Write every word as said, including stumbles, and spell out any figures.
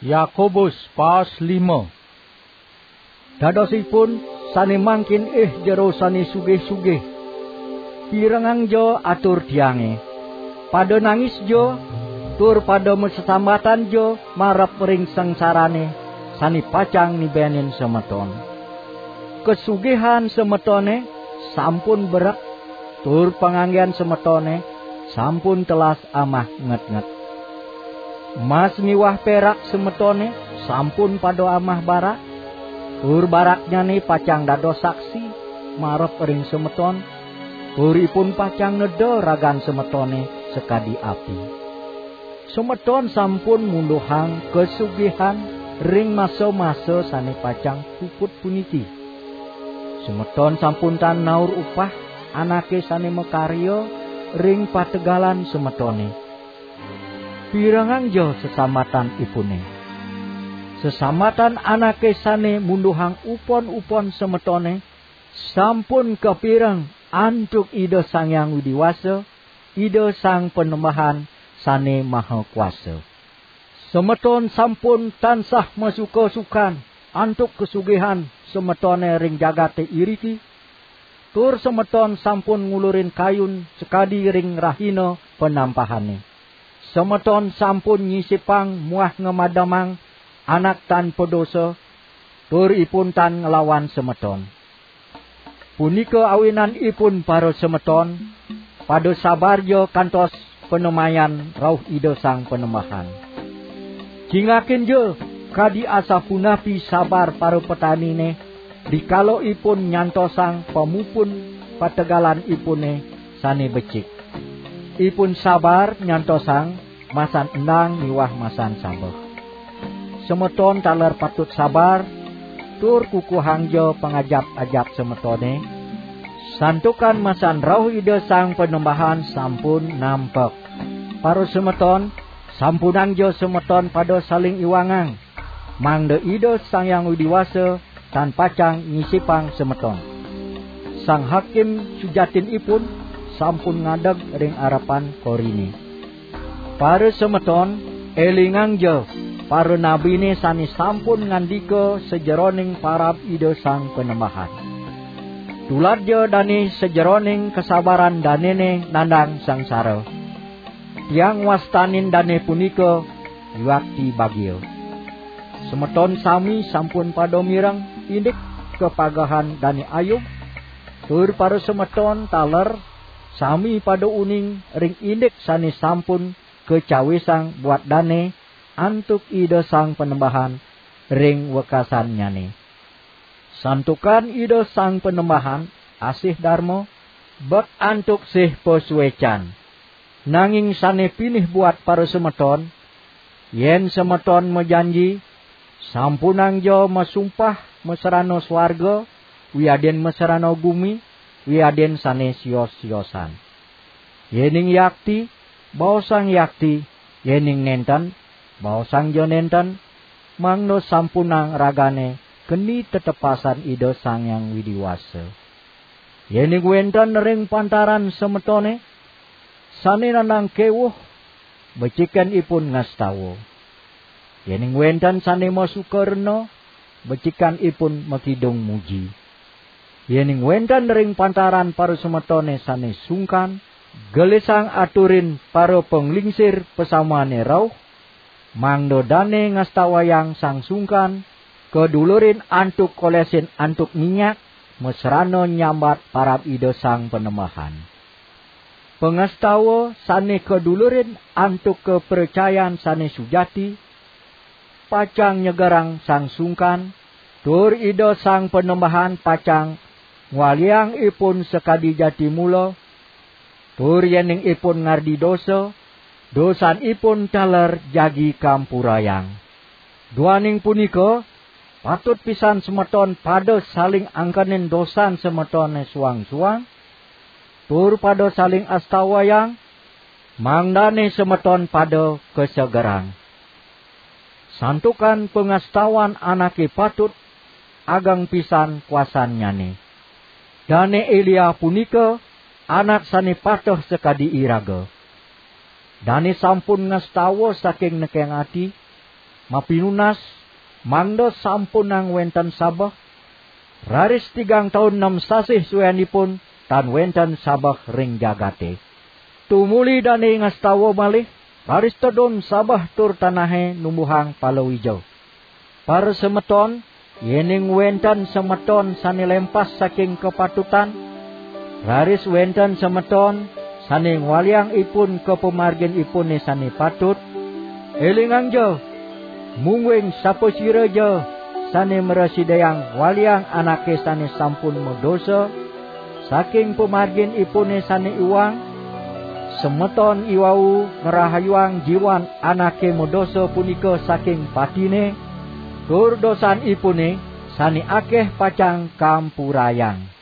Yakobus pas lima. Dadosipun sane mangkin ih jero sane sugih-sugih, pirengangja atur tiange. Pada nangisja, tur pada masesambatanja marep ring sangsarane sane pacang nibenin semeton. Kasugihan semetone sampun berek, tur panganggen semetone sampun telas amah ngetnget. Mas miwah perak semetone sampun pada amah barak, tur baraknyane pacang dados saksi marep ring semeton, tur ipun pacang neda ragan semetone sakadi api. Semeton sampun munduhang kasugihan ring masa-masa sane pacang puput puniki. Semeton sampun tan naur upah anake sane makarya ring pategalan semetone. Pirengangja sesambatan ipune. Sesambatan anake sane munduhang upon-upon semetone sampun kapireng antuk Ida Sang Hyang Widi Wasa, Ida Sang Panembahan sane maha kuasa. Semeton sampun tansah masuka-sukan antuk kasugihan semetone ring jagate iriki, tur semeton sampun ngulurin kayun sakadi ring rahina panampahane. Semeton sampun nyisipang muah ngamademang anak tan padosa, tur ipun tan nglawan semeton. Punika awinan ipun para semeton, pada sabarja kantos panemayan rauh Ida Sang Panembahan. Cingakinja kadi asapunapi sabar para petanine, dikala ipun nyantosang pamupun pategalan ipune sane becik. Ipun sabar nyantosang masan endang miwah masan sabeh. Semeton taler patut sabar, tur kukuhangja pangajap-ajap semetone, santukan masan rauh Ida Sang Panembahan sampun nampek. Para semeton, sampunangja semeton pada saling iwangang, mangda Ida Sang Hyang Widi Wasa tan pacang nyisipang semeton. Sang Hakim sujatinipun sampun ngadeg ring arepan korine. Para semeton, elingangja para nabine sane sampun ngandika sajeroning parab Ida Sang Panembahan. Tuladja dane sajeroning kasabaran danene nandang sangsara. Tiang wastanin dane punika yuakti bagia. Semeton sami sampun pada mireng indik kapagehan Dane Ayub, tur para semeton taler sami pada uning ring indik sane sampun kacawisang buat dane antuk Ida Sang Panembahan ring wekasannyane. Santukan Ida Sang Panembahan asih darma, bek antuk sih pasuecan. Nanging sane pinih buat para semeton, yen semeton majanji, sampunangja masumpah masrana swarga, wiadin masrana gumi, wiadin sane sios-siosan. Yening yakti, baosang yakti, yening nenten, baosangja nenten, mangda sampunang ragane keni tetepasan Ida Sang Hyang Widi Wasa. Yening wenten ring pantaran semetone sane nandang kewuh, becikan ipun ngastawa. Yening wenten sane masuka rena, becikan ipun makidung muji. Yening wenten ring pantaran parasemetone sane sungkan, gelisang aturin para panglingsir pasamane rauh, mangda dane ngastawayang sang sungkan, kadulurin antuk kolesin antuk minyak, masrana nyambat parab Ida Sang Panembahan. Pangastawa sane kadulurin antuk kapracayan sane sujati, pacang nyegerang sang sungkan, tur Ida Sang Panembahan pacang ngwaliang ipun sakadi jati mula, tur yening ipun ngardi dosa, dosanipun taler jagi kampurayang. Duaning punika, patut pisan semeton pada saling angkenin dosan semetone suang-suang, tur pada saling astawayang, mangdane semeton pada kasegerang. Santukan pangastawan anake patut, ageng pisan kuasannyane. Dane Elia punika anak sane patuh sakadi iraga. Dane sampun ngastawa saking nekeng ati, mapinunas, mangda sampunang wenten sabeh, raris tigang taun nem sasih suenipun tan wenten sabeh ring jagate. Tumuli dane ngastawa malih, raris tedun sabeh tur tanahe numbuhang palawija. Para semeton, yening wenten semeton sane lempas saking kapatutan, raris wenten semeton sane ngwaliang ipun ka pamargin ipune sane patut, elingangja, mungguing sapasiraja sane mrasidayang waliang anake sane sampun madosa saking pamargin ipune sane iwang, semeton iwau ngrahayuang jiwan anake madosa punika saking patine, tur dosanipune sane akeh pacang kampurayang.